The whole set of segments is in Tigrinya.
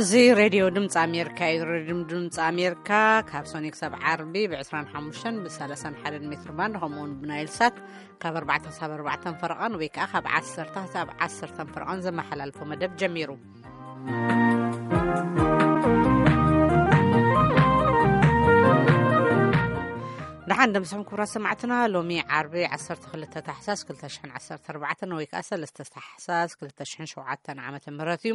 እዚ ሬድዮ ድምፂ ኣሜሪካ እዩ። ሬድዮ ድምፂ ኣሜሪካ ካብ ሶኒ ክሳብ ዓርቢ ብ25 ብ31 ሜትር ባንድ፣ ከምኡ እውን ብናይል ሳት ካብ ኣርባዕተ ክሳብ ኣርባዕተ ፈረቓን ወይ ከዓ ካብ ዓሰርተ ክሳብ ዓሰርተ ፈረቓን ዘመሓላልፎ መደብ ጀሚሩ። ደሓን ደምስኹም ክቡራት ሰማዕትና። ሎሚ ዓርቢ ዓሰርተ ክልተ ታሕሳስ ክልተ ሽሕን ዓሰርተ ኣርባዕተን ወይ ከዓ ሰለስተ ታሕሳስ ክልተ ሽሕን ሸውዓተን ዓመተ ምህረት እዩ።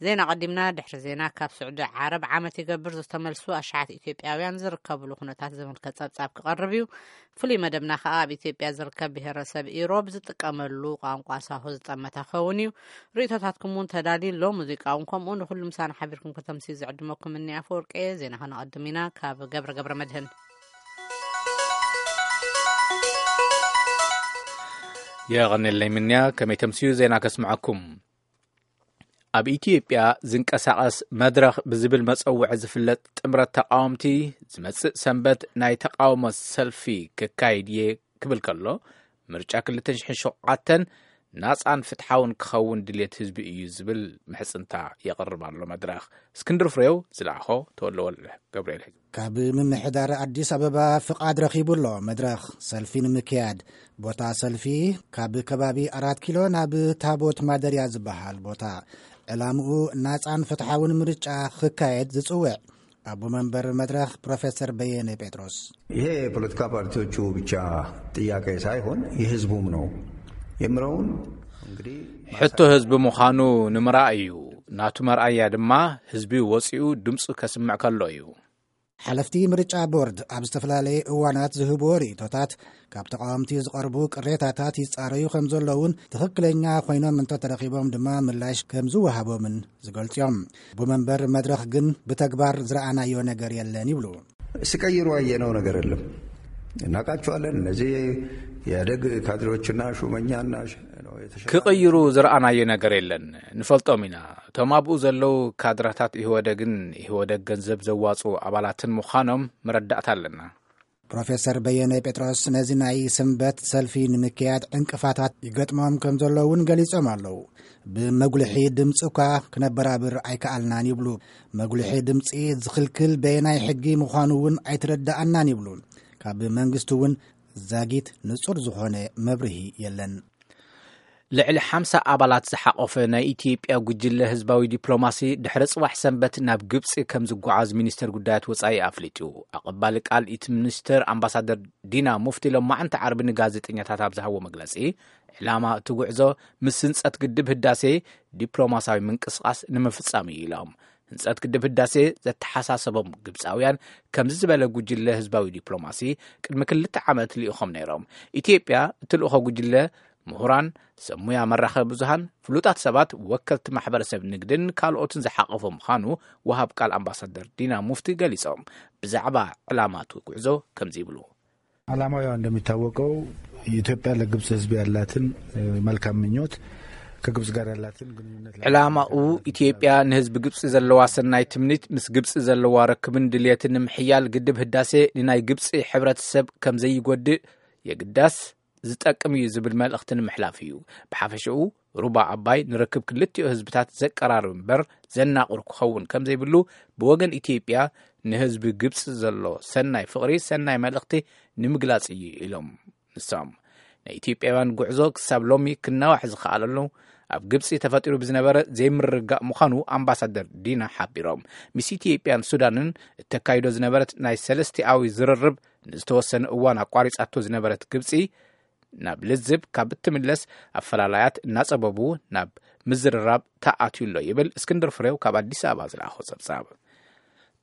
ዜና ቀዲምና። ድሕሪ ዜና፣ ካብ ስዑዲ ዓረብ ዓመት ይገብር ዝተመልሱ ኣሽሓት ኢትዮጵያውያን ዝርከብሉ ኩነታት ዝምልከት ጸብጻብ ክቐርብ እዩ። ፍሉይ መደብና ከኣ ኣብ ኢትዮጵያ ዝርከብ ብሄረሰብ ኢሮብ ዝጥቀመሉ ቋንቋ ሳሆ ዝጠመተ ክኸውን እዩ። ርእይቶታትኩም እውን ተዳልዩ ኣሎ። ሙዚቃ እውን ከምኡ። ንኹሉ ምሳና ሓቢርኩም ከተምስዩ ዝዕድመኩም እኒ ኣፈወርቂ እየ። ዜና ከነቐድም ኢና። ካብ ገብረ ገብረ መድህን። የቐንየለይ ምንያ፣ ከመይ ተምስዩ ዜና ከስምዐኩም። ኣብ ኢትዮጵያ ዝንቀሳቐስ መድረኽ ብዝብል መጸውዒ ዝፍለጥ ጥምረት ተቓወምቲ፣ ዝመጽእ ሰንበት ናይ ተቓውሞ ሰልፊ ክካይድ እየ ክብል ከሎ፣ ምርጫ ክልተ ሽሕን ሸውዓተን ናጻን ፍትሓውን ክኸውን ድልየት ህዝቢ እዩ ዝብል ምሕጽንታ የቕርብ ኣሎ መድረኽ። እስክንድር ፍሬው ዝለኣኾ፣ ተወልደ ወልደ ገብርኤል ሒዙ። ካብ ምምሕዳር ኣዲስ ኣበባ ፍቓድ ረኺቡ ኣሎ መድረኽ ሰልፊ ንምክያድ። ቦታ ሰልፊ ካብ ከባቢ ኣራት ኪሎ ናብ ታቦት ማደርያ ዝበሃል ቦታ። ዕላምኡ ናጻን ፍትሓውን ምርጫ ክካየድ ዝጽውዕ ኣቦ መንበር መድረኽ ፕሮፌሰር በየነ ጴጥሮስ። ይሄ የፖለቲካ ፓርቲዎቹ ብቻ ጥያቄ ሳይሆን የህዝቡም ነው የምለውን እንግዲህ ሕቶ ህዝቢ ምዃኑ ንምርኣይ እዩ። ናቱ መርኣያ ድማ ህዝቢ ወጺኡ ድምፁ ከስምዕ ከሎ እዩ። ሓለፍቲ ምርጫ ቦርድ ኣብ ዝተፈላለየ እዋናት ዝህብዎ ርእይቶታት ካብ ተቓወምቲ ዝቐርቡ ቅሬታታት ይጻረዩ ከም ዘለውን ትኽክለኛ ኮይኖም እንተተረኺቦም ድማ ምላሽ ከም ዝወሃቦምን ዝገልጽ እዮም። ኣቦ መንበር መድረኽ ግን ብተግባር ዝረኣናዮ ነገር የለን ይብሉ። ሲቀይሩ ያየነው ነገር የለም። እናውቃቸዋለን። እነዚህ የኢህአዴግ ካድሬዎችና ሹመኛና ሽ-፣ ነው የተሸ- ክቕይሩ ዝረኣናዮ ነገር የለን። ንፈልጦም ኢና። እቶም ኣብኡ ዘለዉ ካድረታት ኢህወደግን ኢህወደግ ገንዘብ ዘዋጽኡ ኣባላትን ምዃኖም መረዳእታ ኣለና። ፕሮፌሰር በየነ ጴጥሮስ ነዚ ናይ ሰንበት ሰልፊ ንምክያድ ዕንቅፋታት ይገጥሞም ከም ዘሎ እውን ገሊጾም ኣለዉ። ብመጉልሒ ድምፂ እኳ ክነበራብር ኣይከኣልናን ይብሉ። መጉልሒ ድምፂ ዝኽልክል በየናይ ሕጊ ምዃኑ እውን ኣይተረዳኣናን ይብሉ። ካብ መንግስቲ እውን ዛጊት ንጹር ዝኾነ መብርሂ የለን። ልዕሊ ሓምሳ ኣባላት ዝሓቖፈ ናይ ኢትዮጵያ ጉጅለ ህዝባዊ ዲፕሎማሲ ድሕሪ ጽባሕ ሰንበት ናብ ግብጺ ከም ዝጓዓዝ ሚኒስተር ጉዳያት ወጻኢ ኣፍሊጡ። ኣቐባሊ ቃል እቲ ሚኒስተር ኣምባሳደር ዲና ሙፍቲ ሎማዕንቲ ዓርቢ ንጋዜጠኛታት ኣብ ዝሃቦ መግለጺ፣ ዕላማ እቲ ጉዕዞ ምስ ህንጸት ግድብ ህዳሴ ዲፕሎማሲያዊ ምንቅስቓስ ንምፍጻም እዩ ኢሎም። ህንጸት ግድብ ህዳሴ ዘተሓሳሰቦም ግብጻውያን ከምዚ ዝበለ ጉጅለ ህዝባዊ ዲፕሎማሲ ቅድሚ ክልተ ዓመት ልኢኾም ነይሮም። ኢትዮጵያ እቲ ልእኾ ጉጅለ ምሁራን፣ ሰብ ሙያ መራኸቢ ብዙሃን፣ ፍሉጣት ሰባት፣ ወከልቲ ማሕበረሰብ ንግድን ካልኦትን ዝሓቐፈ ምዃኑ ወሃብ ቃል ኣምባሳደር ዲና ሙፍቲ ገሊጾም። ብዛዕባ ዕላማ እቲ ጉዕዞ ከምዚ ይብሉ። ዓላማው ያው እንደሚታወቀው ኢትዮጵያ ለግብጽ ህዝብ ያላትን፣ እ፣ መልካም ምኞት፣ ከግብጽ ጋር ያላትን ግንኙነት ዕላማኡ ኢትዮጵያ ንህዝቢ ግብጺ ዘለዋ ሰናይ ትምኒት፣ ምስ ግብጺ ዘለዋ ርክብን ድልየትን ንምሕያል፣ ግድብ ህዳሴ ንናይ ግብጺ ሕብረተሰብ ከም ዘይጎድእ የግዳስ ዝጠቅም እዩ ዝብል መልእኽቲ ንምሕላፍ እዩ። ብሓፈሽኡ ሩባ ኣባይ ንርክብ ክልቲኡ ህዝብታት ዘቀራርብ እምበር ዘናቑር ክኸውን ከም ዘይብሉ፣ ብወገን ኢትዮጵያ ንህዝቢ ግብጺ ዘሎ ሰናይ ፍቕሪ ሰናይ መልእኽቲ ንምግላጽ እዩ ኢሎም ንሶም። ናይ ኢትዮጵያውያን ጉዕዞ ክሳብ ሎሚ ክናዋሕ ዝኸኣለሉ ኣብ ግብጺ ተፈጢሩ ብዝነበረ ዘይምርግጋእ ምዃኑ ኣምባሳደር ዲና ሓቢሮም። ምስ ኢትዮጵያን ሱዳንን እተካይዶ ዝነበረት ናይ ሰለስቲኣዊ ዝርርብ ንዝተወሰነ እዋን ኣቋሪጻቶ ዝነበረት ግብጺ፣ ናብ ልዝብ ካብ እትምለስ፣ ኣፈላላያት እናጸበቡ ናብ ምዝርራብ ተኣትዩ ኣሎ ይብል እስክንድር ፍሬው ካብ ኣዲስ ኣበባ ዝለኣኾ ጸብጻብ።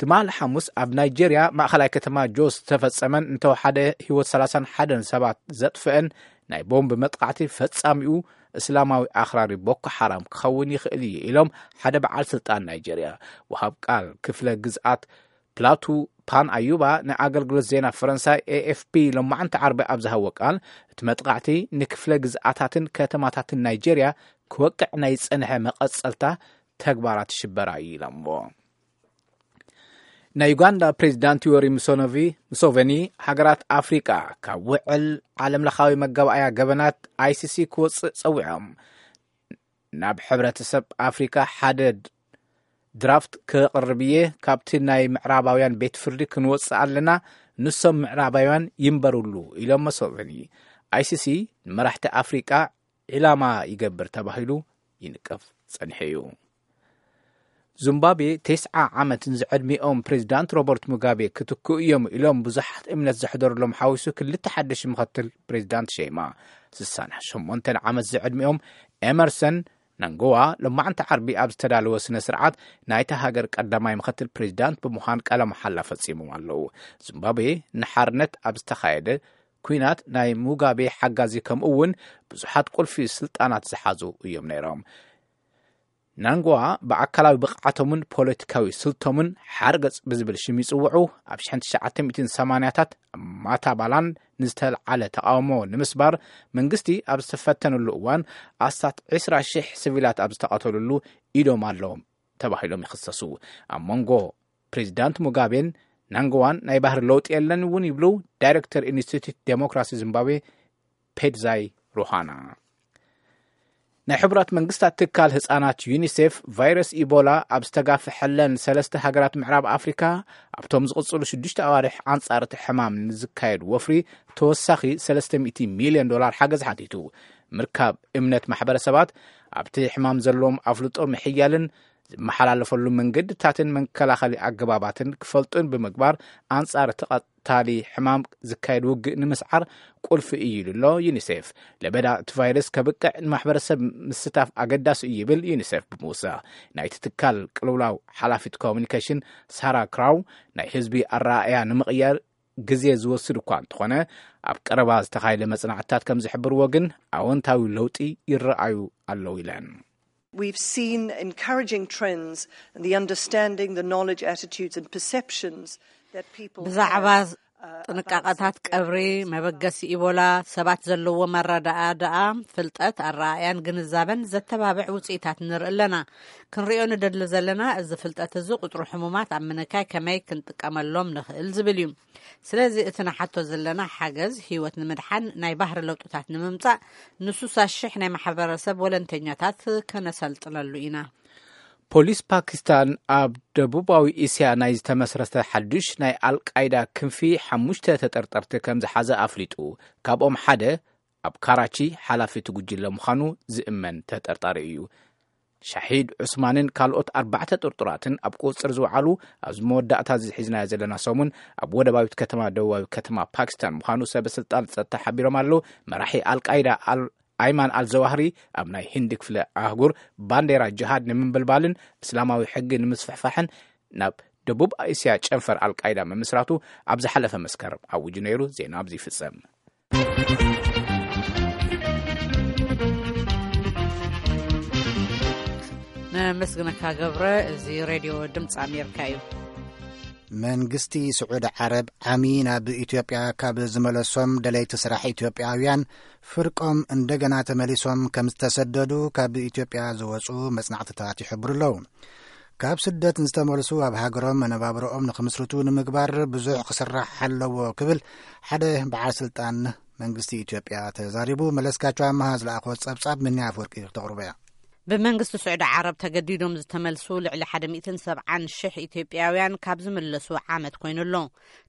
ትማሊ ሓሙስ ኣብ ናይጄርያ ማእኸላይ ከተማ ጆስ ዝተፈጸመን እንተወሓደ ህይወት ሰላሳን ሓደን ሰባት ዘጥፍአን ናይ ቦምብ መጥቃዕቲ ፈጻሚኡ እስላማዊ ኣኽራሪ ቦኮ ሓራም ክኸውን ይኽእል እዩ ኢሎም ሓደ በዓል ስልጣን ናይጄርያ። ወሃብ ቃል ክፍለ ግዝኣት ፕላቱ ፓን ኣዩባ ንኣገልግሎት ዜና ፈረንሳይ ኤ ኤፍ ፒ ሎማዕንቲ ዓርቢ ኣብ ዝሃቦ ቃል፣ እቲ መጥቃዕቲ ንክፍለ ግዝኣታትን ከተማታትን ናይጄርያ ክወቅዕ ናይ ዝጸንሐ መቐጸልታ ተግባራት ሽበራ እዩ ኢሎምዎ። ናይ ዩጋንዳ ፕሬዚዳንት ዮወሪ ሙሶኖቪ-፣ ሙሶቨኒ፣ ሃገራት ኣፍሪቃ ካብ ውዕል ዓለምለኻዊ መጋባእያ ገበናት ኣይ ሲ ሲ ክወጽእ ጸዊዖም። ናብ ሕብረተሰብ ኣፍሪካ ሓደ ድ-፣ ድራፍት ክቕርብ እየ፣ ካብቲ ናይ ምዕራባውያን ቤት ፍርዲ ክንወጽእ ኣለና፣ ንሶም ምዕራባውያን ይንበሩሉ ኢሎም መሰልኒ። ኣይሲሲ ንመራሕቲ ኣፍሪቃ ዒላማ ይገብር ተባሂሉ ይንቀፍ ጸኒሑ እዩ። ዙምባብዌ ተስዓ ዓመት ንዝዕድሚኦም ፕሬዚዳንት ሮበርት ሙጋቤ ክትክኡ እዮም ኢሎም ብዙሓት እምነት ዘሕደሩሎም ሓዊሱ ክልተ ሓደሽ ምኸትል ፕሬዚዳንት ሸይማ። ስሳን ሸሞንተን ዓመት ዝዕድሚኦም ኤመርሰን ናንጎዋ ሎማዕንቲ ዓርቢ ኣብ ዝተዳለወ ስነ ስርዓት ናይታ ሃገር ቀዳማይ ምኸትል ፕሬዚዳንት ብምዃን ቃለ መሓላ ፈጺሞም ኣለዉ። ዙምባብዌ ንሓርነት ኣብ ዝተኻየደ ኲናት ናይ ሙጋቤ ሓጋዚ ከምኡ እውን ብዙሓት ቁልፊ ስልጣናት ዝሓዙ እዮም ነይሮም። ናንጎዋ ብኣካላዊ ብቕዓቶምን ፖለቲካዊ ስልቶምን ሓርገጽ ብዝብል ሽም ይጽውዑ። ኣብ ሽሕን ትሽዓተ ሚእትን ሰማንያታት ኣብ ማታባላን ንዝተልዓለ ተቓውሞ ንምስባር መንግስቲ ኣብ ዝተፈተነሉ እዋን ኣስታት ዕስራ ሽሕ ሲቪላት ኣብ ዝተቐተሉሉ ኢዶም ኣለዎም ተባሂሎም ይኽሰሱ። ኣብ መንጎ ፕሬዚዳንት ሙጋቤን ናንጎዋን ናይ ባህሪ ለውጢ የለን እውን ይብሉ ዳይሬክተር ኢንስቲትዩት ዴሞክራሲ ዚምባብዌ ፔድዛይ ሩሃና። ናይ ሕቡራት መንግስታት ትካል ህጻናት ዩኒሴፍ ቫይረስ ኢቦላ ኣብ ዝተጋፍሐለን ሰለስተ ሃገራት ምዕራብ ኣፍሪካ ኣብቶም ዝቕጽሉ ሽዱሽተ ኣዋርሕ ኣንጻር እቲ ሕማም ንዝካየድ ወፍሪ ተወሳኺ ሰለስተ ሚእቲ ሚልዮን ዶላር ሓገዝ ሓቲቱ። ምርካብ እምነት ማሕበረሰባት ኣብቲ ሕማም ዘለዎም ኣፍልጦ ምሕያልን ዝመሓላለፈሉ መንገድታትን መከላኸሊ ኣገባባትን ክፈልጡን ብምግባር ኣንጻር እቲ ቀታሊ ሕማም ዝካየድ ውግእ ንምስዓር ቁልፊ እዩ ኢሉ ኣሎ ዩኒሴፍ። ለበዳ እቲ ቫይረስ ከብቅዕ ንማሕበረሰብ ምስታፍ ኣገዳሲ እዩ ይብል ዩኒሴፍ ብምውሳኽ። ናይቲ ትካል ቅልውላው ሓላፊት ኮሚኒኬሽን ሳራ ክራው ናይ ህዝቢ ኣረኣእያ ንምቕያር ግዜ ዝወስድ እኳ እንተኾነ ኣብ ቀረባ ዝተኻየደ መጽናዕትታት ከም ዝሕብርዎ ግን ኣወንታዊ ለውጢ ይረኣዩ ኣለዉ ኢለን። We've seen encouraging trends in the understanding, the knowledge, attitudes and perceptions that people ብዛዕባ have, uh, ጥንቃቐታት ቀብሪ መበገሲ ኢቦላ ሰባት ዘለዎ መረዳእታ ፍልጠት ኣረኣእያን ግንዛበን ዘተባብዕ ውፅኢታት ንርኢ ኣለና። ክንሪኦ ንደሊ ዘለና እዚ ፍልጠት እዚ ቁፅሪ ሕሙማት ኣብ ምንካይ ከመይ ክንጥቀመሎም ንኽእል ዝብል እዩ። ስለዚ እቲ ንሓቶ ዘለና ሓገዝ ህይወት ንምድሓን ናይ ባህሪ ለውጥታት ንምምፃእ ንሱሳ ሽሕ ናይ ማሕበረሰብ ወለንተኛታት ከነሰልጥነሉ ኢና። ፖሊስ ፓኪስታን ኣብ ደቡባዊ እስያ ናይ ዝተመስረተ ሓዱሽ ናይ ኣልቃይዳ ክንፊ ሓሙሽተ ተጠርጠርቲ ከም ዝሓዘ ኣፍሊጡ። ካብኦም ሓደ ኣብ ካራቺ ሓላፊ እቲ ጉጅለ ምዃኑ ዝእመን ተጠርጣሪ እዩ። ሻሂድ ዑስማንን ካልኦት ኣርባዕተ ጥርጡራትን ኣብ ቁፅፅር ዝወዓሉ ኣብዚ መወዳእታ እዚ ሒዝናዮ ዘለና ሰሙን ኣብ ወደባዊት ከተማ ደቡባዊ ከተማ ፓኪስታን ምዃኑ ሰበ ስልጣን ጸጥታ ሓቢሮም ኣለዉ። መራሒ ኣልቃይዳ ኣል ኣይማን ኣልዘዋህሪ ኣብ ናይ ህንዲ ክፍለ ኣህጉር ባንዴራ ጅሃድ ንምንብልባልን እስላማዊ ሕጊ ንምስፍሕፋሕን ናብ ደቡብ እስያ ጨንፈር ኣልቃይዳ ምምስራቱ ኣብ ዝሓለፈ መስከረም ኣውጁ ነይሩ። ዜና ኣብዚ ይፍጸም። ነመስግነካ ገብረ። እዚ ሬድዮ ድምፂ ኣሜሪካ እዩ። መንግስቲ ስዑዲ ዓረብ ዓሚ ናብ ኢትዮጵያ ካብ ዝመለሶም ደለይቲ ስራሕ ኢትዮጵያውያን ፍርቆም እንደገና ተመሊሶም ከም ዝተሰደዱ ካብ ኢትዮጵያ ዝወፁ መጽናዕትታት ይሕብሩ ኣለዉ። ካብ ስደት ዝተመልሱ ኣብ ሃገሮም መነባብሮኦም ንክምስርቱ ንምግባር ብዙሕ ክስራሕ ኣለዎ ክብል ሓደ በዓል ስልጣን መንግስቲ ኢትዮጵያ ተዛሪቡ። መለስካቸው ኣመሃ ዝለኣኾ ጸብጻብ ምንያ ኣፍወርቂ ተቕርቦ እያ። ብመንግስቲ ስዑዲ ዓረብ ተገዲዶም ዝተመልሱ ልዕሊ ሓደ ሚእትን ሰብዓን ሽሕ ኢትዮጵያውያን ካብ ዝምለሱ ዓመት ኮይኑ ኣሎ።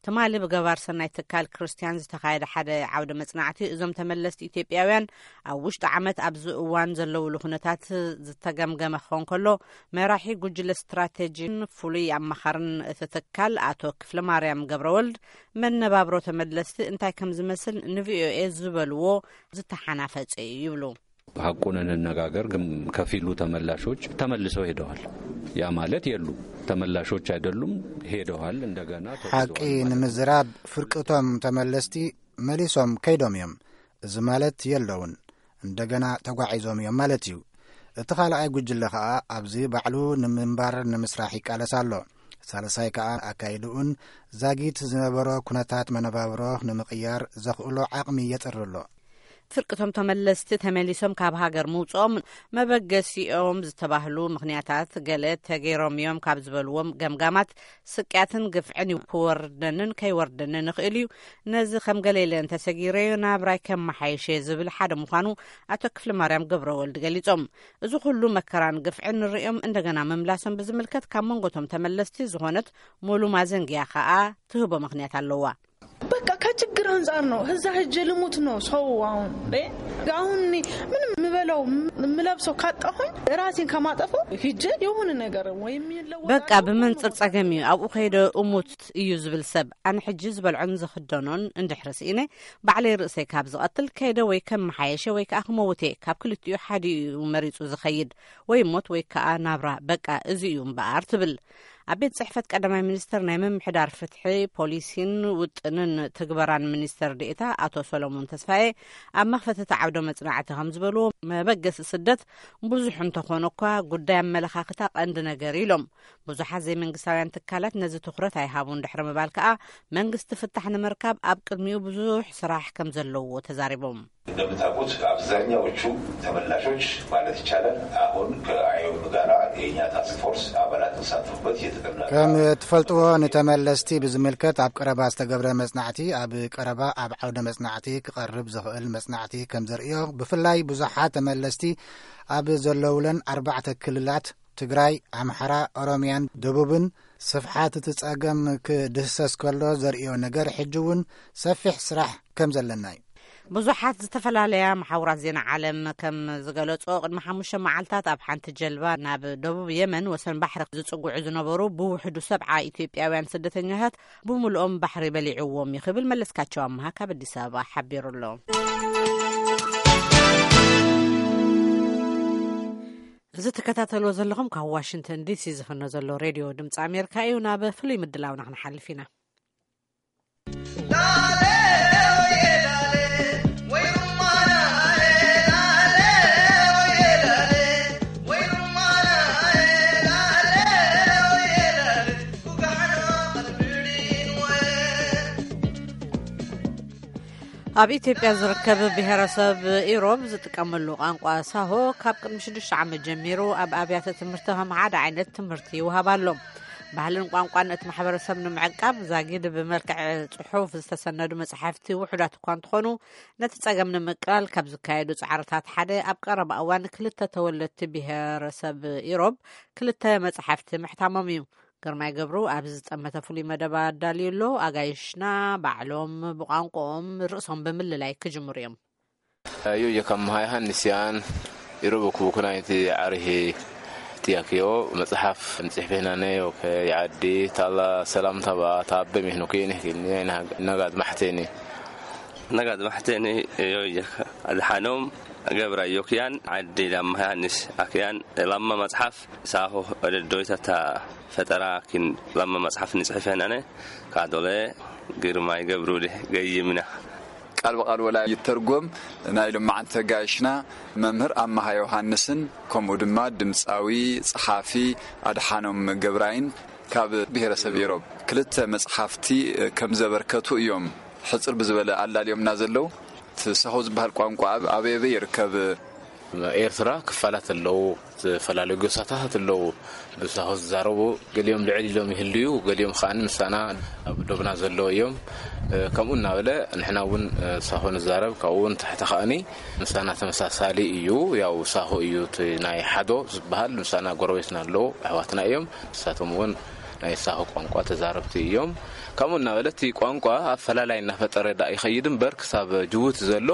ትማሊ ብገባር ሰናይ ትካል ክርስቲያን ዝተኻየደ ሓደ ዓውደ መጽናዕቲ እዞም ተመለስቲ ኢትዮጵያውያን ኣብ ውሽጢ ዓመት ኣብዚ እዋን ዘለውሉ ኩነታት ዝተገምገመ ክኸውን ከሎ፣ መራሒ ጉጅለ ስትራቴጂን ፍሉይ ኣማኻርን እቲ ትካል ኣቶ ክፍለ ማርያም ገብረወልድ መነባብሮ ተመለስቲ እንታይ ከም ዝመስል ንቪኦኤ ዝበልዎ ዝተሓናፈጸ እዩ ይብሉ። ሐቁን እንነጋገር ግን ከፊሉ ተመላሾች ተመልሰው ሄደዋል። ያ ማለት የሉ ተመላሾች አይደሉም፣ ሄደዋል። እንደገና ተጉዘዋል ሐቂ ማለት ነው። ንምዝራብ ፍርቅቶም ተመለስቲ መሊሶም ከይዶም እዮም። እዚ ማለት የለውን እንደገና ተጓዒዞም እዮም ማለት እዩ። እቲ ካልኣይ ጉጅለ ኸኣ ኣብዚ ባዕሉ ንምንባር ንምስራሕ ይቃለስ ኣሎ። ሳልሳይ ከኣ ኣካይድኡን ዛጊት ዝነበሮ ኩነታት መነባብሮ ንምቕያር ዘኽእሎ ዓቕሚ የጥሪ ኣሎ። ፍርቅቶም ተመለስቲ ተመሊሶም ካብ ሃገር ምውፅኦም መበገሲኦም ዝተባህሉ ምኽንያታት ገለ ተገይሮም እዮም ካብ ዝበልዎም ገምጋማት፣ ስቅያትን ግፍዕን ክወርደንን ከይወርደንን ይኽእል እዩ። ነዚ ከም ገለ ኢለ እንተሰጊረዮ ናብራይ ከመሓይሸ ዝብል ሓደ ምዃኑ ኣቶ ክፍለ ማርያም ገብረ ወልድ ገሊጾም። እዚ ኩሉ መከራን ግፍዕን ንርእዮም እንደገና ምምላሶም ብዝምልከት ካብ መንጎቶም ተመለስቲ ዝኾነት ሙሉ ማዘንግያ ከኣ ትህቦ ምኽንያት ኣለዋ። በቃ ከችግር አንጻር ነው። እዛ ሄጄ ልሙት ነው ሰው አሁን እንዴ? አሁን እኔ ምንም የምበላው የምለብሰው ካጣሁኝ ራሴን ከማጠፈው ሄጄ የሆነ ነገር ወይም ይለወጣል በቃ ብመንጽር ጸገም እዩ። ኣብኡ ከይደ እሙት እዩ ዝብል ሰብ፣ ኣነ ሕጂ ዝበልዖን ዝኽደኖን እንድሕሪ ስኢነ፣ ባዕለይ ርእሰይ ካብ ዝቐትል ከይደ ወይ ከም መሓየሸ ወይ ከኣ ክመውት እየ። ካብ ክልቲኡ ሓዲኡ እዩ መሪጹ ዝኸይድ፣ ወይ ሞት ወይ ከኣ ናብራ። በቃ እዚ እዩ እምበኣር ትብል። ኣብ ቤት ጽሕፈት ቀዳማይ ሚኒስትር ናይ ምምሕዳር ፍትሒ፣ ፖሊሲን ውጥንን ትግበራን ሚኒስትር ዴኤታ ኣቶ ሰሎሞን ተስፋዬ ኣብ መኽፈቲ እቲ ዓውደ መጽናዕቲ ከም ዝበልዎ፣ መበገሲ ስደት ብዙሕ እንተኾነ እኳ፣ ጉዳይ ኣመለኻኽታ ቀንዲ ነገር ኢሎም። ብዙሓት ዘይመንግስታውያን ትካላት ነዚ ትኹረት ኣይሃቡን ድሕሪ ምባል ከኣ፣ መንግስቲ ፍታሕ ንምርካብ ኣብ ቅድሚኡ ብዙሕ ስራሕ ከም ዘለዎ ተዛሪቦም። እንደምታውቁት አብዛኛዎቹ ተመላሾች ማለት ይቻላል አሁን ከአይኦኤም ጋራ የእኛ ታስክ ፎርስ አባላት ተሳተፉበት የተጠና ከም ትፈልጥዎ፣ ንተመለስቲ ብዝምልከት ኣብ ቀረባ ዝተገብረ መጽናዕቲ፣ ኣብ ቀረባ ኣብ ዓውደ መጽናዕቲ ክቐርብ ዝኽእል መጽናዕቲ ከም ዘርእዮ፣ ብፍላይ ብዙሓት ተመለስቲ ኣብ ዘለውለን ኣርባዕተ ክልላት፣ ትግራይ፣ ኣምሓራ፣ ኦሮሚያን ደቡብን፣ ስፍሓት እቲ ጸገም ክድህሰስ ከሎ ዘርእዮ ነገር፣ ሕጂ እውን ሰፊሕ ስራሕ ከም ዘለና እዩ። ብዙሓት ዝተፈላለያ መሓውራት ዜና ዓለም ከም ዝገለጾ፣ ቅድሚ ሓሙሽተ መዓልታት ኣብ ሓንቲ ጀልባ ናብ ደቡብ የመን ወሰን ባሕሪ ዝጽጉዑ ዝነበሩ ብውሕዱ ሰብዓ ኢትዮጵያውያን ስደተኛታት ብምልኦም ባሕሪ በሊዕዎም እዩ ክብል መለስካቸው ኣምሃ ካብ ኣዲስ ኣበባ ሓቢሩ ኣሎ። እዚ ትከታተልዎ ዘለኹም ካብ ዋሽንግተን ዲሲ ዝፍኖ ዘሎ ሬድዮ ድምፂ ኣሜሪካ እዩ። ናብ ፍሉይ ምድላውና ክንሓልፍ ኢና። ኣብ ኢትዮጵያ ዝርከብ ብሄረሰብ ኢሮብ ዝጥቀመሉ ቋንቋ ሳሆ፣ ካብ ቅድሚ ሽዱሽተ ዓመት ጀሚሩ ኣብ ኣብያተ ትምህርቲ ከም ሓደ ዓይነት ትምህርቲ ይወሃብ ኣሎ። ባህልን ቋንቋን እቲ ማሕበረሰብ ንምዕቃብ፣ ዛጊድ ብመልክዕ ጽሑፍ ዝተሰነዱ መጻሕፍቲ ውሑዳት እኳ እንተኾኑ፣ ነቲ ጸገም ንምቅላል ካብ ዝካየዱ ጻዕርታት ሓደ፣ ኣብ ቀረባ እዋን ክልተ ተወለድቲ ብሄረሰብ ኢሮብ ክልተ መጻሕፍቲ ምሕታሞም እዩ። ግርማይ ገብሩ ኣብዚ ዝጠመተ ፍሉይ መደብ ኣዳልዩ ኣሎ። ኣጋይሽና ባዕሎም ብቋንቋኦም ርእሶም ብምልላይ ክጅምሩ እዮም። Io, io, kam ha han nisian, irobo ku kuna iti arihi tiakio, መጽሓፍ ንጽሕፍ ሄናነ፣ ኦኬ፣ ይዓዲ፣ ታላ ሰላምታ በኣ፣ ታበ ሚህኑ ኬኒ ኬኒ፣ ነጋድ ማሕቴኒ። ነጋድ ማሕቴኒ፣ ዮ፣ ዮ፣ ኣድሓኖም ገብራ ዮክያን፣ ዓዲ ላማ ዮሃንስ ኣክያን፣ ላማ መጽሓፍ፣ ሳሆ፣ ወደዶይታታ፣ ፈጠራ፣ ኪን፣ ላማ መጽሓፍ ንጽሕፍ ሄናነ፣ ካዶለ፣ ግርማይ ገብሩ፣ ገይምና። ቃል ብቃል ወላ ይተርጎም፣ ናይ ሎማዓንቲ ተጋይሽና መምህር ኣማሃ ዮሃንስን ከምኡ ድማ ድምፃዊ፣ ጸሓፊ ኣድሓኖም ገብራይን ካብ ብሄረሰብ ኢሮብ ክልተ መጽሓፍቲ ከም ዘበርከቱ እዮም ሕጽር ብዝበለ ኣላልዮምና ዘለዉ። እቲ ሳሆ ዝበሃል ቋንቋ ኣብ ኣበይ ኣበይ ይርከብ? ኤርትራ ክፋላት ኣለዉ፣ ዝተፈላለዩ ጎሳታት ኣለዉ ብሳሆ ዝዛረቡ። ገሊኦም ልዕል ኢሎም ይህልዩ፣ ገሊኦም ከኣ ምሳና ኣብ ዶብና ዘለዉ እዮም። ከምኡ እናበለ ንሕና እውን ሳሆ ንዛረብ፣ ካብኡ እውን ታሕቲ ከኣኒ ምሳና ተመሳሳሊ እዩ። ያው ሳሆ እዩ እቲ ናይ ሓዶ ዝበሃል፣ ምሳና ጎረቤትና ኣለዉ፣ ኣሕዋትና እዮም። ንሳቶም እውን ናይ ሳሆ ቋንቋ ተዛረብቲ እዮም። ከምኡ እናበለ እቲ ቋንቋ ኣፈላላይ እናፈጠረ ዳ ይኸይድ እምበር፣ ክሳብ ጅቡቲ ዘሎ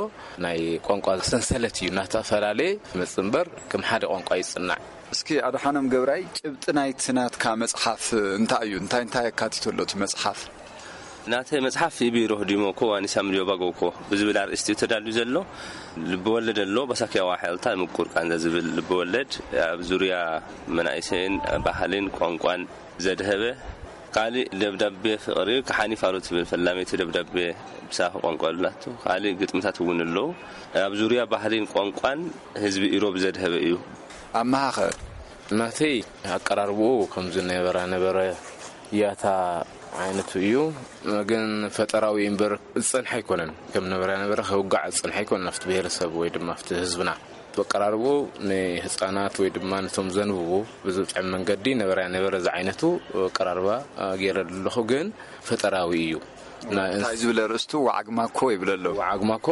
ናይ ቋንቋ ሰንሰለት እዩ እናተፈላለየ ዝመጽእ እምበር፣ ከም ሓደ ቋንቋ ይጽናዕ። እስኪ ኣድሓኖም ገብራይ፣ ጭብጢ ናይቲ ናትካ መጽሓፍ እንታይ እዩ? እንታይ እንታይ ኣካቲቱ ኣሎ እቲ መጽሓፍ? ናተይ መጽሓፍ ኢቢሮ ዲሞኮ ዋኒሳም ሊዮባጎኮ ብዝብል ኣርእስቲ እዩ ተዳልዩ ዘሎ። ልብወለድ ኣሎ፣ በሳኪያ ዋሕልታ ምቁር ቃንዛ ዝብል ልብወለድ፣ ኣብ ዙርያ መናእሰይን ባህልን ቋንቋን ዘድሀበ። ካሊእ ደብዳቤ ፍቕሪ፣ ክሓኒ ፋሮ ትብል ፈላመይቲ ደብዳቤ ብሳሆ ቋንቋ ኣሉላቶ። ካሊእ ግጥምታት እውን ኣለዉ። ኣብ ዙርያ ባህልን ቋንቋን ህዝቢ ኢሮብ ዘድሀበ እዩ። ኣመሃኸ? ናተይ ኣቀራርብኡ ከምዚ ነበረ ነበረ። ያታ ዓይነቱ እዩ። ግን ፈጠራዊ እምበር ዝጸንሐ ኣይኮነን። ከም ነበረ ነበረ ከውጋዕ ዝጸንሐ ኣይኮነን። ኣብቲ ብሄረሰብ ወይ ድማ ኣብቲ ህዝብና ተቀራርቦ ንህፃናት ወይ ድማ ነቶም ዘንብቡ ብዝጥዕም መንገዲ ነበረ ነበረ ዝዓይነቱ ቀራርባ ገይረ ኣለኹ። ግን ፈጠራዊ እዩ። እንታይ ዝብለ ርእስቱ ዋዓግማኮ ይብለ ኣለዉ። ዋዓግማኮ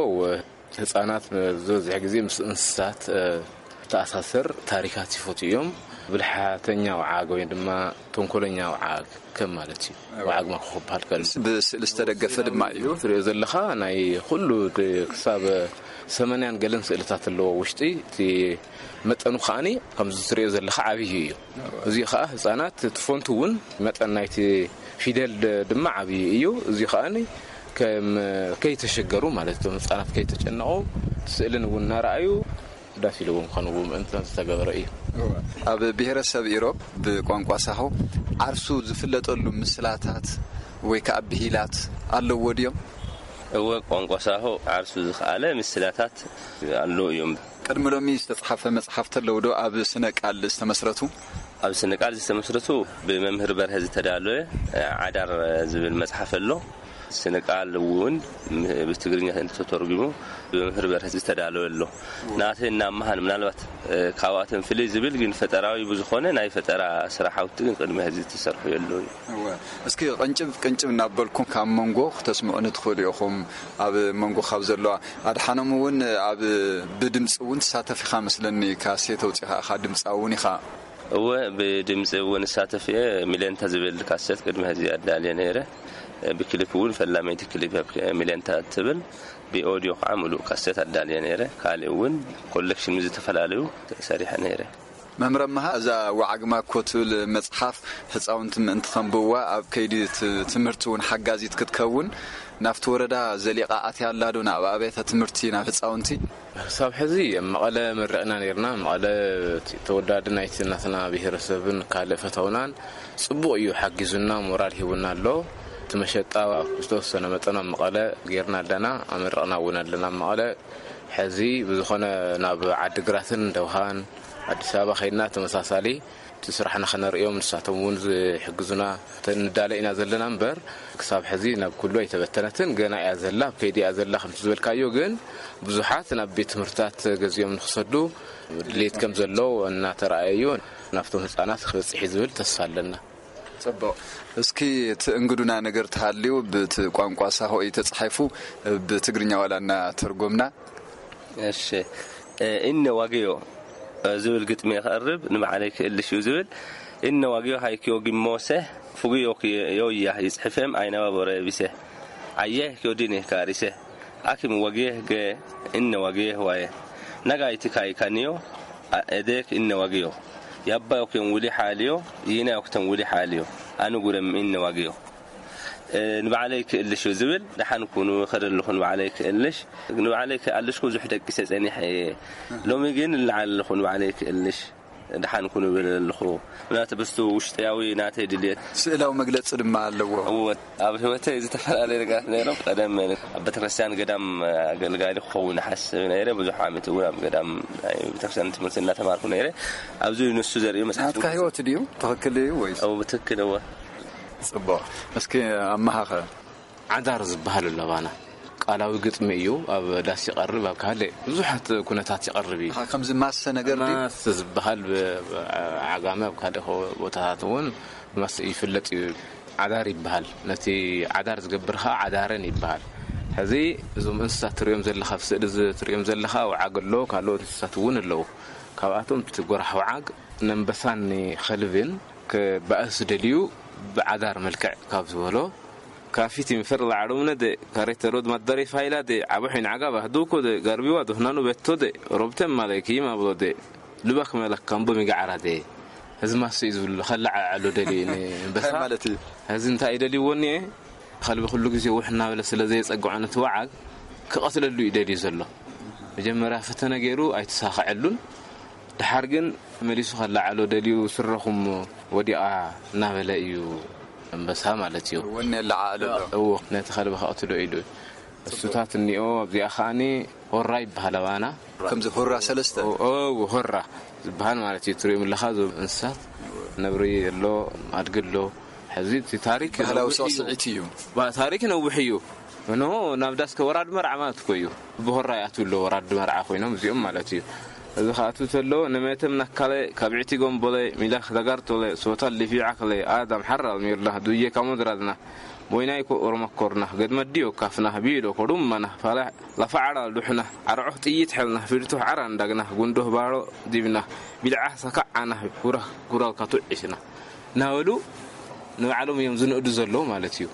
ህፃናት ዝበዝሕ ግዜ ምስ እንስሳት ተኣሳሰር ታሪካት ይፈቱ እዮም። ብልሓተኛ ወዓግ ወይ ድማ ተንኮለኛ ወዓግ ከም ማለት እዩ። ወዓግ ማኮ ክበሃል ከሎ ብስእሊ ዝተደገፈ ድማ እዩ። ትሪኦ ዘለኻ ናይ ኩሉ ክሳብ ሰመንያን ገለን ስእልታት ኣለዎ ውሽጢ እቲ መጠኑ ከዓኒ ከምዚ ትሪኦ ዘለኻ ዓብዪ እዩ። እዚ ከዓ ህፃናት እቲ ፎንት እውን መጠን ናይቲ ፊደል ድማ ዓብዪ እዩ። እዚ ከዓኒ ከም ከይተሸገሩ ማለት እቶም ህፃናት ከይተጨነቑ ስእልን እውን እናረኣዩ ዳስ ኢልዎም ክኾንዎ ምእንቲ ዝተገበረ እዩ። ኣብ ብሔረሰብ ኢሮብ ብቋንቋ ሳሆ ዓርሱ ዝፍለጠሉ ምስላታት ወይ ከዓ ብሂላት ኣለዎ ድዮም? እወ፣ ቋንቋ ሳሆ ዓርሱ ዝኸኣለ ምስላታት ኣለዎ እዮም። ቅድሚ ሎሚ ዝተፅሓፈ መፅሓፍ ተለውዶ ኣብ ስነ ቃል ዝተመስረቱ? ኣብ ስነ ቃል ዝተመስረቱ ብመምህር በርሀ ዝተዳለወ ዓዳር ዝብል መፅሓፍ ኣሎ። ስነ ቃል እውን ብትግርኛ እንተተርጉሙ ብመምህር በርሀ ዝተዳለወ ኣሎ። ናተይ እናመሃን ምናልባት ካብኣቶም ፍልይ ዝብል ግን ፈጠራዊ ብዝኾነ ናይ ፈጠራ ስራሓውቲ ግን ቅድሚ ሕዚ ዝተሰርሑ የለውን። እወ። እስኪ ቅንጭብ ቅንጭብ እናበልኩም ካብ መንጎ ክተስምዑኒ ትኽእሉ ኢኹም። ኣብ መንጎ ካብ ዘለዋ ኣድሓኖም እውን ኣብ ብድምፂ እውን ትሳተፍ ኢኻ መስለኒ። ካሴት ኣውፂኻ ኢኻ ድምፃዊ እውን ኢኻ። እወ፣ ብድምፂ እውን እሳተፍ እየ። ሚሌንታ ዝብል ካሰት ቅድሚ ሕዚ ኣዳልየ ነይረ። ብክሊፕ እውን ፈላመይቲ ክሊፕ እያ ሚሌንታ ትብል። ብኦዲዮ ከዓ ምሉእ ካሰት ኣዳልየ ነይረ። ካልእ እውን ኮሌክሽን ምስ ዝተፈላለዩ ሰሪሐ ነይረ። መምህር ኣመሃ፣ እዛ ወዓግማኮ ትብል መፅሓፍ ህፃውንቲ ምእንቲ ከንብብዋ ኣብ ከይዲ ት-፣ ትምህርቲ እውን ሓጋዚት ክትከውን ናብቲ ወረዳ ዘሊቓ ኣትያ ኣላ ዶ? ናብ ኣብያተ ትምህርቲ፣ ናብ ህፃውንቲ? ክሳብ ሕዚ ኣብ መቐለ መሪቕና ነይርና። መቐለ እቲ ተወዳዲ ናይቲ ናትና ብሄረሰብን ካልእ ፈተውናን ጽቡቕ እዩ፣ ሓጊዙና፣ ሞራል ሂቡና ኣሎ። እቲ መሸጣ ዝተወሰነ መጠን ኣብ መቐለ ጌርና ኣለና፣ ኣመሪቕና እውን ኣለና ኣብ መቐለ። ሕዚ ብዝኾነ ናብ ዓዲግራትን ደውሃን ኣዲስ ኣበባ ከይድና ተመሳሳሊ እቲ ስራሕና ከነርእዮም ንሳቶም እውን ዝሕግዙና ንዳለ ኢና ዘለና እምበር ክሳብ ሕዚ ናብ ኩሉ ኣይተበተነትን። ገና እያ ዘላ፣ ኣብ ከይዲ እያ ዘላ። ከምቲ ዝበልካዮ ግን ብዙሓት ናብ ቤት ትምህርትታት ገዚኦም ንክሰዱ ድሌት ከም ዘሎ እናተረኣየ እዩ። ናብቶም ህፃናት ክበፅሕ እዩ ዝብል ተስፋ ኣለና። ጽቡቕ። እስኪ እቲ እንግዱና ነገር ተሃልዩ ብቲ ቋንቋ ሳሆ እዩ ተጻሒፉ፣ ብትግርኛ ዋላ እናተርጎምና። እሺ፣ እ፣ እነ ዋግዮ፣ እ፣ ዝብል ግጥሚ ከቕርብ ንባዕለይ ክእልሽ እዩ ዝብል። እነ ዋግዮ ሃይኪዮ ጊሞሰ፣ ፍጉዮ ዮያ ይጽሕፌም ኣይነባቦረ ቢሰ። ዓየ ኪዮዲኔ ካሪሰ። ኣኪም ዋግየ ገ እነ ዋግየ ዋየ። ነጋይቲ ካይካንዮ፣ አ፣ ኤዴክ እነ ዋግዮ። ያባዮክዮን ውሊ ሓልዮ፣ ይናዮክተን ውሊ ሓልዮ። ኣንጉረም እነ ዋግዮ። እ፣ ንባዕለይ ክእልሽ እዩ ዝብል፣ ደሓን ኩኑ፣ ይኸደ ኣለኹ ንባዕለይ ክእልሽ። ንባዕለይ ክኣልሽኩ ብዙሕ ደቂሰ ጸኒሐ እየ። ሎሚ ግን እልዓል ኣለኹ ንባዕለይ ክእልሽ። ደሓን ኩኑ ይብል ኣለኹ። ምናተ ብስቱ ውሽጥያዊ ናተይ ድልየት። ስእላዊ መግለጺ ድማ ኣለዎ። እወ፣ ኣብ ህይወተይ ዝተፈላለዩ ነገራት ነይሮም። ቀደም ኣብ ቤተክርስትያን ገዳም ኣገልጋሊ ክኸውን ሓስብ ነይረ። ብዙሕ ዓመት እውን ኣብ ገዳም ናይ ቤተክርስትያን ትምህርቲ እናተማርኩ ነይረ። ኣብዚ ንሱ ዘርእዩ መጽሓፍ ናትካ ህይወት ድዩ? ትኽክል እዩ ወይስ? እወ፣ ብትክክል እወ። ጽቡቕ። እስኪ ኣመሃኸ። ዓዳር ዝበሃል ኣሎ ባና። ቃላዊ ግጥሚ እዩ። ኣብ ዳስ ይቐርብ፣ ኣብ ካልእ ብዙሓት ኩነታት ይቐርብ እዩ። ኣሃ፣ ከምዚ ማሰ ነገር ድዩ? ማስ ዝበሃል ብ-፣ ብ-፣ ዓጋመ ኣብ ካልእ ከ-፣ ቦታታት እውን ማስ ይፍለጥ እዩ። ዓዳር ይበሃል። ነቲ ዓዳር ዝገብር ኸዓ ዓዳረን ይበሃል። ሕዚ እዞም እንስሳት ትሪኦም ዘለኻ፣ ኣብ ስእሊ እዚ ትሪኦም ዘለኻ ወዓግ ኣሎ፣ ካልኦት እንስሳት እውን ኣለዉ። ካብኣቶም እቲ ጎራሕ ወዓግ ነንበሳን ከልብን ክባእስ ደልዩ ብዓዳር መልክዕ ካብ ዝበሎ ካፊቲ ምፈር ላዕሎም ነደ ካሬተ ሮድ ማዳሬ ፋይላ ደ ዓቦ ሒን ዓጋብ ኣህዱኮ ደ ጋርቢዋ ዶህናኑ በቶ ደ ሮብተን ማለኪ ማብሎ ደ ልባክ መለክ ካምቦ ሚጋዓራ ደ ህዝማሱ እዩ ዝብሉ ከለዓዕሎ ደልዩ ንበሳ እንታይ ማለት እዩ? ህዚ እንታይ እዩ ደልይዎ እኒኤ? ከልቢ ኩሉ ግዜ ውሕ እናበለ ስለ ዘየጸግዖ ነቲ ወዓግ ክቐትለሉ እዩ ደልዩ ዘሎ። መጀመርያ ፈተነ ገይሩ ኣይተሳኸዐሉን። ደሓር ግን መሊሱ ከለዓዕሎ ደልዩ ስረኹም ወዲቓ እናበለ እዩ ኣንበሳ ማለት እዩ። ወኔ ኣለዓዕሉ ኣሎ። እዎ፣ ነቲ ከልቢ ከቕትሎ ኢሉ። እሱታት እኒኦ፣ ኣብዚኣ ከዓኒ ሆራ ይበሃል ኣባና። ከምዚ ሆራ ሰለስተ? ኦ፣ ኦ፣ ሆራ ዝበሃል ማለት እዩ። ትሪኦም ኣለኻ፣ እዞም እንስሳት ነብሪ ኣሎ፣ ኣድጊ ኣሎ፣ እዚ እቲ ታሪክ ባህላዊ ነዊሕ እዩ። ስዕስዒት እዩ። ባ- ታሪክ ነዊሕ እዩ። እንሆ ናብ ዳስ ከ ወራድ መርዓ ማለት እኮ እዩ። ብሆራ ይኣትው ኣሎ ወራድ መርዓ ኮይኖም እዚኦም ማለት እዩ። እዚ ከኣቱ ተሎ ንመተም ናካለ ካብ ዕቲ ጎምቦለ ሚዳክ ተጋርቶለ ሶታል ሊፊዓ ከለ ኣዳም ሓራል ሚርና ዱየ ካሞድራድና ቦይናይ ኮ ኦሮመኮርና ገድመዲዮ ካፍና ቢሎ ኮዱመና ፋላ ላፋዓላ ሉሕና ዓርዖ ጥይት ሐልና ፊልቱ ዓራ እንዳግና ጉንዶ ባሮ ዲብና ቢልዓ ሰካዓና ጉራ ጉራል ካቱ ዒስና ናበሉ ንባዕሎም እዮም ዝንእዱ ዘለዉ ማለት እዩ።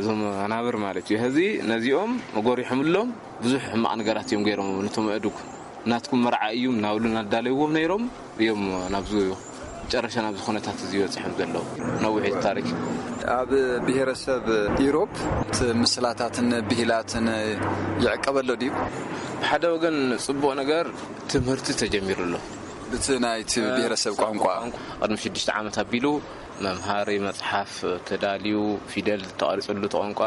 እዞም ኣናብር ማለት እዩ። ሕዚ ነዚኦም መጎሪሖምሎም ብዙሕ ሕማቕ ነገራት እዮም ገይሮም ነቶም ኣእዱግ። ናትኩም መርዓ እዩ እናበሉ እናዳለይዎም ነይሮም እዮም ናብዚ መጨረሻ ናብዚ ኩነታት እዚ በፂሖም ዘለዉ። ነዊሕ እዩ ታሪክ። ኣብ ብሔረሰብ ኢሮብ እቲ ምስላታትን ብሂላትን ይዕቀበሎ ድዩ? ብሓደ ወገን ፅቡቕ ነገር ትምህርቲ ተጀሚሩ ኣሎ። ብቲ ናይቲ ብሔረሰብ ቋንቋ ቅድሚ ሽዱሽተ ዓመት ኣቢሉ መምሃሪ መፅሓፍ ተዳልዩ ፊደል ተቐሪፅሉ እቲ ቋንቋ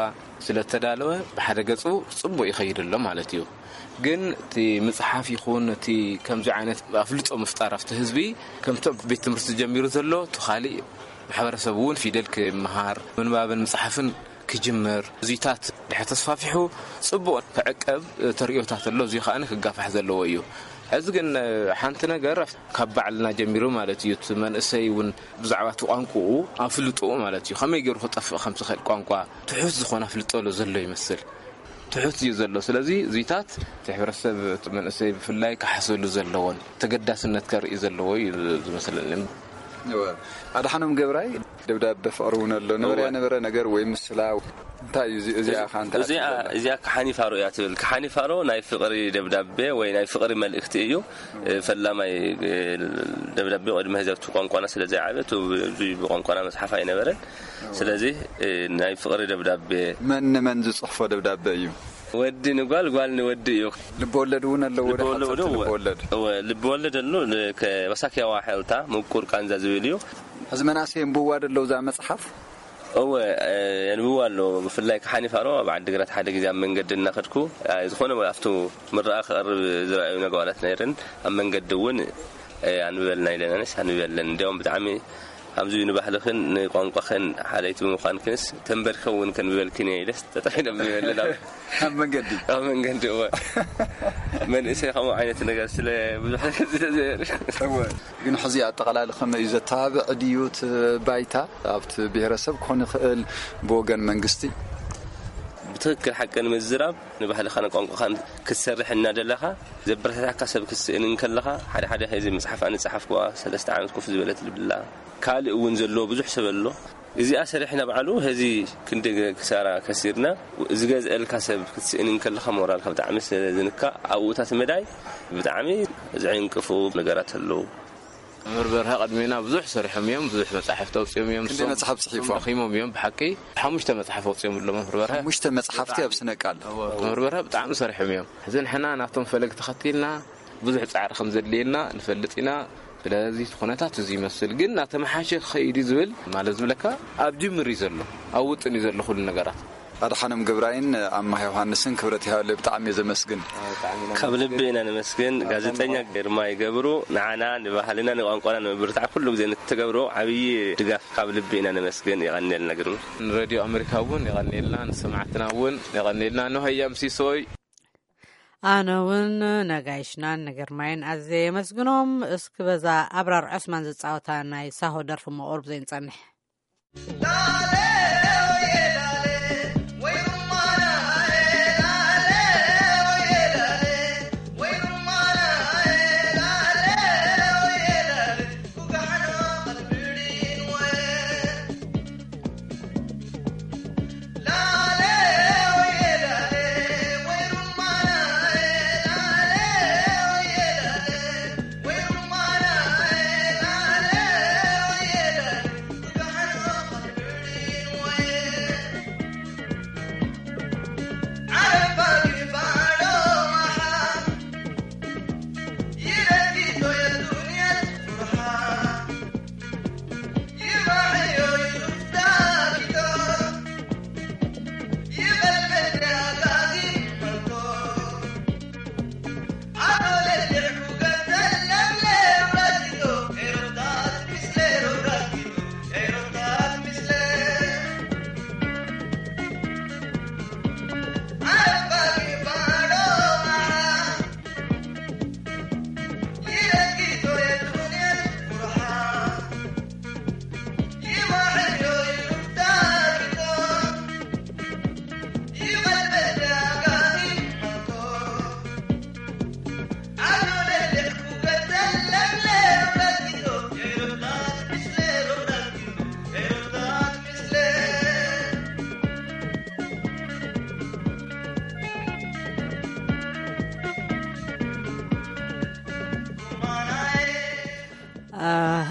ስለተዳለወ ብሓደ ገፁ ፅቡቕ ይኸይድ ኣሎ ማለት እዩ። ግን እቲ ምፅሓፍ ይኹን እቲ ከምዚ ዓይነት ኣፍልጦ ምፍጣር ኣብቲ ህዝቢ ከምቲ ኣብ ቤት ትምህርቲ ጀሚሩ ዘሎ እቲ ካሊእ ማሕበረሰብ እውን ፊደል ክመሃር ምንባብን ምፅሓፍን ክጅምር እዚታት ድሕር ተስፋፊሑ ፅቡቕ ክዕቀብ ተርእዮታት ኣሎ። እዚ ከዓ ክጋፋሕ ዘለዎ እዩ። ሕዚ ግን ሓንቲ ነገር ካብ ባዕልና ጀሚሩ ማለት እዩ። እቲ መንእሰይ እውን ብዛዕባ እቲ ቋንቋኡ ኣፍልጦ ማለት እዩ ከመይ ገይሩ ክጠፍእ ከም ዝኽእል ቋንቋ ትሑት ዝኾነ ኣፍልጦ ዘሎ ይመስል። ትሑት እዩ ዘሎ። ስለዚ እዚታት እቲ ሕብረተሰብ እቲ መንእሰይ ብፍላይ ክሓሰሉ ዘለዎን ተገዳስነት ከርኢ ዘለዎ እዩ ዝመስለኒ። ኣድሓኖም ገብራይ ደብዳቤ ፍቕሪ እውን ኣሎ ነበረ ነበረ ነገር ወይ ምስላ እንታይ እዩ እዚ- እዚኣ ከ እንታይ እዚኣ ትብለና? እዚኣ ከሓኒ ፋሮ እያ ትብል። ከሓኒ ፋሮ ናይ ፍቕሪ ደብዳቤ ወይ ናይ ፍቕሪ መልእክቲ እዩ። ፈላማይ ደብዳቤ ቅድሚ ህዘብቲ ቋንቋና ስለ ዘይዓበ እቲ ብዙ ብቋንቋና መፅሓፍ ኣይነበረን። ስለዚ ናይ ፍቕሪ ደብዳቤ መን ንመን ዝፅሕፎ ደብዳቤ እዩ? ወዲ ንጓል ጓል ንወዲ እዩ። ልበወለድ እውን ኣለዎ። ወደ ልበወለድ ሓፀርቲ እውን ልበወለድ እወ፣ ልበወለድ ኣሎ። ከበሳኪያዋ ሐልታ ምቁር ቃንዛ ዝብል እዩ። ሕዚ መናእሰይ የንብዋ ደለው እዛ መፅሓፍ? እወ፣ የንብዋ ኣሎ። ብፍላይ ከሓኒ ፋሮ ኣብ ዓዲግራት ሓደ ግዜ ኣብ መንገዲ እናኸድኩ ዝኾነ ኣብቲ ምረኣ ክቐርብ ዝረኣዩ ነጓላት ነይረን ኣብ መንገዲ እውን ኣንብበልና ኢለናንስ ኣንብበለን። እንዲያውም ብጣዕሚ ከምዚ ንባህልኽን ንቋንቋኽን ሓለይቲ ብምዃንክንስ ተንበርኪኸ እውን ከንብበልክን እየ ኢለስ ጠጠው ኢለ ኣንብበለን ኣብ ኣብ መንገዲ ኣብ መንገዲ እወ። መንእሰይ ከምኡ ዓይነት ነገር ስለ ብዙሕ ነገር ስለ ዘይርኢ እወ። ግን ሕዚ ኣጠቓላሊ ከመይ እዩ ዘተባብዕ ድዩ እቲ ባይታ ኣብቲ ብሔረሰብ ክኾን ይኽእል ብወገን መንግስቲ? ብትክክል ሓቂ ንምዝራብ ንባህልኻን ቋንቋኻን ክትሰርሕ እናደለኻ ዘበረታታካ ሰብ ክትስእን እንከለኻ ሓደ ሓደ ሕዚ መፅሓፍ ኣንፀሓፍኩዋ ሰለስተ ዓመት ኮፍ ዝበለት ልብላ ካልእ እውን ዘለዎ ብዙሕ ሰብ ኣሎ። እዚኣ ሰሪሕና ባዕሉ ሕዚ ክንዲ ክሳራ ከሲርና ዝገዝአልካ ሰብ ክትስእን እንከለኻ ሞራልካ ብጣዕሚ ስለ ዝንካ ኣብኡታት መዳይ ብጣዕሚ ዝዕንቅፉ ነገራት ኣለዉ። መምህር በርሀ ቅድሜና ብዙሕ ሰሪሖም እዮም። ብዙሕ መፅሓፍቲ ኣውፅኦም እዮም። ክንደይ መፅሓፍ ፅሒፎም? ደኺሞም እዮም ብሓቂ። ሓሙሽተ መፅሓፍ ኣውፅኦም ኣሎ መምህር በርሀ። ሓሙሽተ መፅሓፍቲ ኣብ ስነ ቃል። መምህር በርሀ ብጣዕሚ ሰሪሖም እዮም። ሕዚ ንሕና ናቶም ፈለግ ተኸቲልና ብዙሕ ፃዕሪ ከም ዘድልየና ንፈልጥ ኢና። ስለዚ እቲ ኩነታት እዚ ይመስል ግን እናተመሓሸ ክኸይድ እዩ ዝብል ማለት ዝብለካ ኣብ ጅምር እዩ ዘሎ። ኣብ ውጥን እዩ ዘሎ ኩሉ ነገራት። ኣድሓኖም ገብራይን ኣማሃ ዮሃንስን ክብረት ይሃበለይ ብጣዕሚ እየ ዘመስግን። ካብ ልቢ ኢና ነመስግን። ጋዜጠኛ ግርማይ ገብሩ ንዓና ንባህልና ንቋንቋና ንምብርታዕ ኩሉ ግዜ ንትገብሮ ዓብዪ ድጋፍ ካብ ልቢ ኢና ነመስግን። የቐንየልና ግርማ። ንሬድዮ ኣሜሪካ እውን የቐንየልና፣ ንሰማዕትና እውን የቐንየልና። ንሃያ ምሲሶይ ኣነ እውን ነጋይሽናን ንግርማይን ኣዝየ የመስግኖም። እስኪ በዛ ኣብራር ዑስማን ዝፃወታ ናይ ሳሆ ደርፊ መቑርብ ዘይንፀንሕ።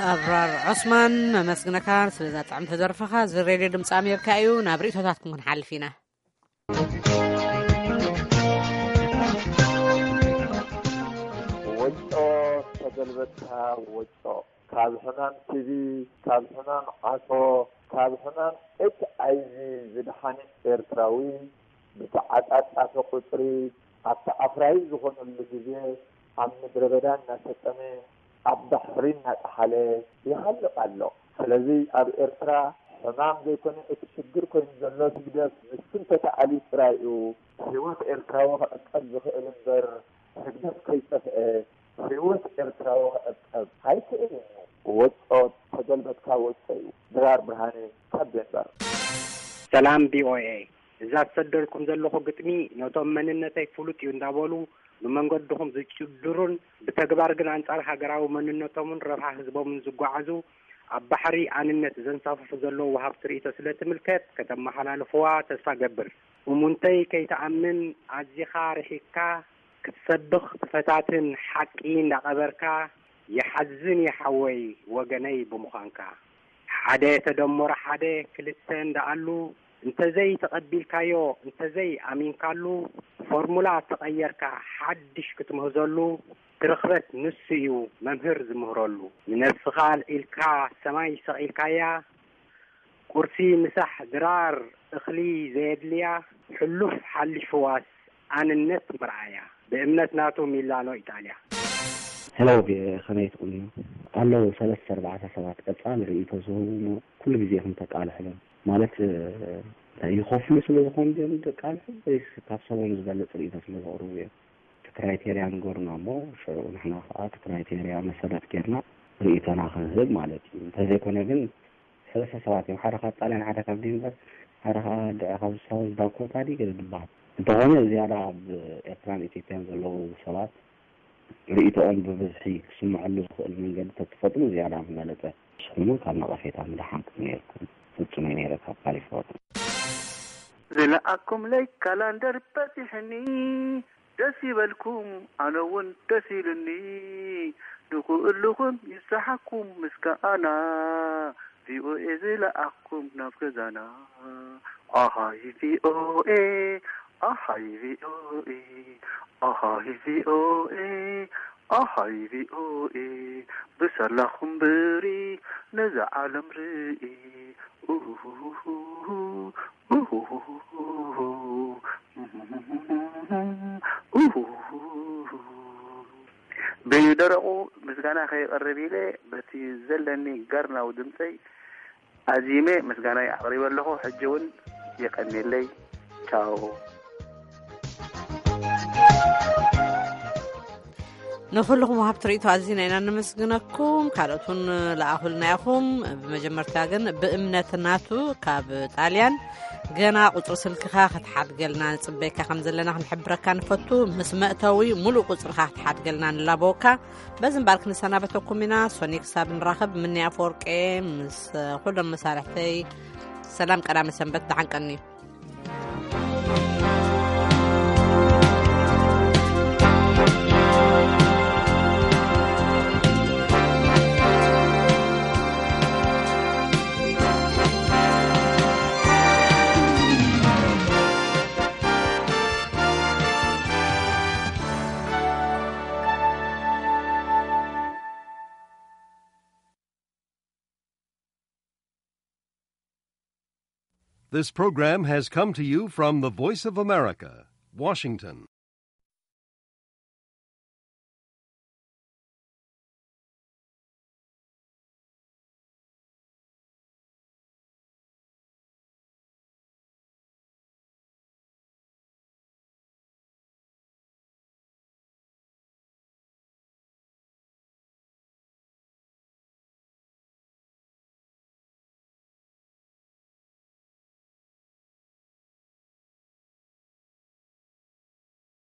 ኣብራር ዑስማን፣ መመስግነካ ስለዛ ጥዕምቲ ደርፍኻ። እዚ ሬድዮ ድምፂ ኣሜሪካ እዩ። ናብ ርእቶታትኩም ክንሓልፍ ኢና። ወጮ ተገልበጥካ ወጮ፣ ካብ ሕማም ቲቪ፣ ካብ ሕማም ዓሶ፣ ካብ ሕማም ኤች ኣይ ቪ ዝደሓነ ኤርትራዊ ብተዓጻጻፊ ቁጽሪ ኣብቲ ኣፍራዪ ዝኾነሉ ግዜ ኣብ ምድረ በዳ እናሰጠመ ኣብ ባሕሪ እናጠሓለ ይሃልቕ ኣሎ። ስለዚ ኣብ ኤርትራ ሕማም ዘይኮነ እቲ ሽግር ኮይኑ ዘሎ ህግደፍ ንሱ እንተተኣልዩ ጥራይ እዩ ህይወት ኤርትራዊ ክዕቀብ ዝኽእል እምበር ህግደፍ ከይጠፍአ ህይወት ኤርትራዊ ክዕቀብ ኣይክእልን እዩ። ወጮ ተገልበጥካ ወጮ እዩ። ድራር ብርሃነ ካብ ዴንበር። ሰላም ቪ ኦ ኤ፣ እዛ ዝሰደልኩም ዘለኹ ግጥሚ ነቶም መንነተይ ፍሉጥ እዩ እንዳበሉ ብመንገድኹም ዝጭድሩን ብተግባር ግን ኣንጻር ሃገራዊ መንነቶምን ረብሓ ህዝቦምን ዝጓዓዙ ኣብ ባሕሪ ኣንነት ዘንሳፍፉ ዘለዉ ወሃብቲ ርእይቶ ስለ ትምልከት ከተመሓላልፍዋ ተስፋ ገብር። እሙንተይ ከይትኣምን ኣዚኻ ርሒቕካ ክትሰብኽ ትፈታትን ሓቂ እንዳቐበርካ ይሓዝን ይሓወይ ወገነይ ብምዃንካ። ሓደ ተደመሮ ሓደ ክልተ እንዳኣሉ እንተዘይ ተቐቢልካዮ እንተዘይ ኣሚንካሉ ፎርሙላ ተቐየርካ ሓድሽ ክትምህዘሉ ትርኽበት ንሱ እዩ መምህር ዝምህረሉ። ንነብስኻ ኣልዒልካ ሰማይ ሰቒልካያ ቁርሲ ምሳሕ ድራር እኽሊ ዘየድልያ ሕሉፍ ሓሊፍዋስ ኣንነት መርኣያ ብእምነት ናቱ ሚላኖ ኢጣልያ። ሄሎ፣ ከመይ ትቕንዩ? ኣለዉ ሰለስተ ኣርባዕተ ሰባት ቀጻሊ ርእይቶ ዝህቡ እሞ ኩሉ ግዜ ኢኹም ተቃልሕሎም። ማለት፣ እ፣ ይኸፍሉ ስለ ዝኾኑ ድዮም ዘቃልሑ ወይስ ካብ ሰቦም ዝበልጽ ርእይቶ ስለ ዘቕርቡ እዮም? እቲ ክራይቴርያ ንገሩና እሞ ሽዑ ንሕና ከኣ እቲ ክራይቴርያ መሰረት ጌርና ርእይቶና ክንህብ ማለት እዩ። እንተዘይኮነ ግን ሰለስተ ሰባት እዮም። ሓደ ካብ ጣልያን፣ ሓደ ካብ ዴንቨር፣ ሓደ ከኣ ድ-፣ ካብ ሳውዝ ዳኮታ ድዩ ገለ ዝበሃል። እንተኾነ ዝያዳ ኣብ ኤርትራን ኢትዮጵያን ዘለዉ ሰባት ርእይቶኦም ብብዝሒ ክስምዐሉ ዝኽእል መንገዲ ተትፈጥሩ ዝያዳ ምበለጸ። ንስኹም እውን ካብ ነቐፌታ ምድሓንኩም ነይርኩም። ፍጹም እየ ነይረ ካብ ካሊፎርኒያ። ዝለኣኩምለይ ካላንደር በጺሕኒ፣ ደስ ይበልኩም፣ ኣነ እውን ደስ ኢሉኒ። ንኽእልኹም ይስሓኩም ምስጋና፣ ቪ ኦ ኤ ዝለኣኩም ናብ ገዛና። ኣሃይ ቪ ኦ ኤ፣ ኣሃይ ቪ ኦ ኤ፣ ኣሃይ ቪ ኦ ኤ፣ ኣሃይ ቪ ኦ ኤ፣ ብሳላኹም ብሪ ነዛ ዓለም ርኢ። ኡሁሁሁ፣ ኡሁሁሁ፣ ኡሁሁሁ። ብደረቑ ምስጋና ከየቕርብ ኢለ በቲ ዘለኒ ገርናዊ ድምፀይ ኣዚመ ምስጋናይ ኣቕሪበ ኣለኹ። ሕጂ እውን የቐንየለይ። ቻው። ንኹልኹም ወሃብቲ ርእይቶ ኣዚና ኢና ነመስግነኩም። ካልኦት እውን ለኣኹልና ኢኹም። ብመጀመርታ ግን ብእምነት ናቱ ካብ ጣልያን፣ ገና ቁጽሪ ስልክኻ ክትሓድገልና ንጽበየካ ከም ዘለና ክንሕብረካ ንፈቱ። ምስ መእተዊ ሙሉእ ቁጽርኻ ክትሓድገልና ንላበወካ። በዚ እምበኣር ክንሰናበተኩም ኢና። ሶኒ ክሳብ ንራኸብ፣ ምኒ ኣፈወርቄ ምስ ኩሎም መሳርሕተይ ሰላም ቀዳመ ሰንበት፣ ደሓን ቀንዩ። This program has come to you from the Voice of America, Washington.